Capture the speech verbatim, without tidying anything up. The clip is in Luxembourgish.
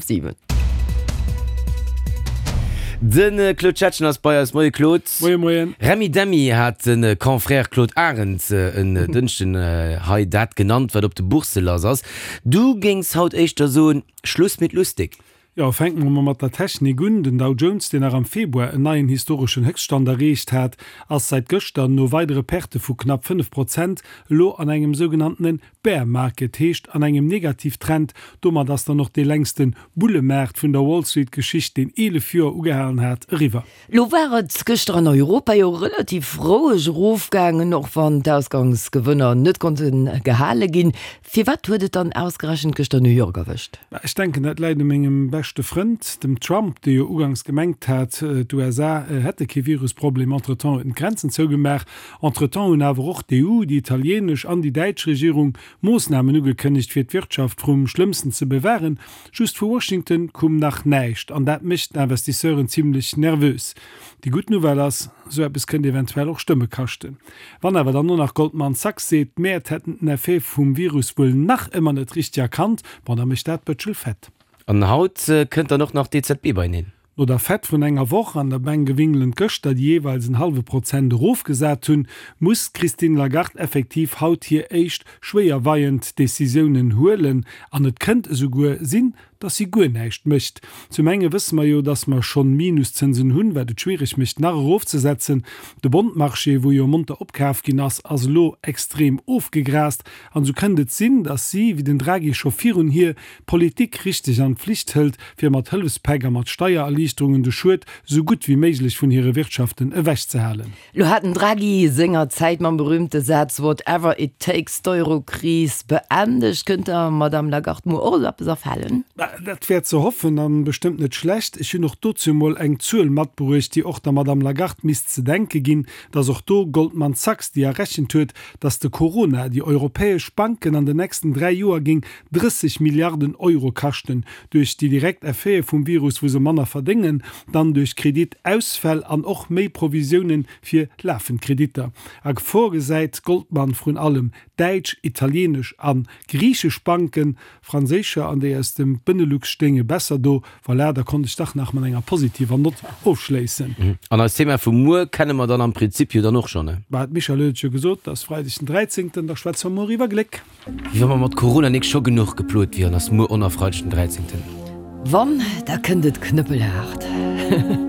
siwen. De Claude Schettgen ass bei eis. Moie Claude. Moie moien. Remi Demi hat de Confrère Claude Arend en Dënschden hei dat genannt, wat op de Boursse lass ass. Du géings haut éischter soen, Schluss mit lustig. Jo, fänke mer mol mat der Technik un. Den Dow Jones, deen nach am Februar en neien historeschen Héchststand erreecht hat, ass säit gëschter no weidere Perte vu knapp fënnef Prozent elo an engem sougenanntene Bear Market, heescht an engem Negativtrend. Domat ass dann och dee längste Bullemaart vun der Wall Street Geschicht, deen eelef Joer ugehalen hat, eriwwer. Lo war et gëschter an Europa jo relativ roueg erofgaangen, och wann d'Ausgangsgewënner net konnte gehale ginn. Firwat huet et dann ausgerechent gëschter New York erwëscht? Ech denken, dat läit u mengem beschte Frënd, dem Trump, dee jo uganks gemengt hat, d'USA hätte kee Virusproblem. Entretemps huet en d'Grenzen zougemaach. Entretemps hunn awer och d'EU, déi italienesch an déi däitsch Regierung Moossnamen ugekënnegt, fir d'Wirtschaft vrum Schlëmmsten ze bewahren. Just vu Washington koum nach näischt, an dat mécht d'Investisseuren zimlech nervös. Déi gutt Nouvelle ass, Esou eppes kënnt eventuell och Stëmme kaschten. Wann awer dann och nach Goldman Sachs seet, d'Mäert hätten den Effet vum Virus wuel nach ëmmer net richteg erkannt, bon, da mécht dat d'Bëtschel fett. An haut kënnt dann och nach d'EZB beieneen. No der Fed vrun enger Woch an der Bänkewingelen gëschter, déi jeeweils en hallwe Prozent erofgesat hunn, muss d'Christine Lagarde effektiv haut hir éischt schwéierweiend Decisiounen huelen. An et kënnt esouguer sinn, dass si guer näischt mécht. Zum enge wësse mer jo, dass mer schonn Minuszënsen hunn, wat et schwiereg mécht, nach erofzesetzen. De Bondmarché, wou jo monter opkaf ginn ass, ass elo extrem ofgegraast. An esou kënnt et sinn, dass si, wéi den Draghi scho virun hir, d'Politik richteg an d'Flicht hëlt, fir mat Hëllefspäck a mat Steiererliichterungen de Schued esou gutt wéi méiglech vun hire Wirtschaften ewechzehalen. Lo hat den Draghi senger Zäit mam berühmte Saz Whatever it takes d'Eurokris beendegt. Kënnt der Madame Lagarde muer och esou eppes afalen? Dat wär ze hoffen an bestëmmt net schlecht. Ech hunn och dozou mol eng Zuel matbruecht, déi och der Madame Lagarde misst ze denke ginn, dass och do Goldman Sachs, déi errechent huet, dass de Corona déi europäesch Banken an den nächsten dräi Joer géing drësseg Milliarden Euro kaschten, duerch déi direkt Effete vum Virus, wou se manner verdéngen, dann duerch Kreditausfäll an och méi Provisiounen fir lafend Kreditter. A Gefor gesäit Goldman vrun allem däitsch, italienesch a griichesch Banken. Franséischer an déi aus dem Benelux stéinge besser do. Voilà, da konnt ech dach nach mat enger positiver Nott ofschléissen. An eist Thema vu muer kenne mer dann am Prinzip jo dann och schonn, ne? Bah, d'Michèle huet et jo gesot, et ass Freideg den dräizéngten, da schwätze mer muer iwwer Gléck. Wéi wa mer mat Corona nik scho genuch geplot wieren, ass muer och nach Freideg den dräizéngten. Wann, da kënnt et knëppelhaart.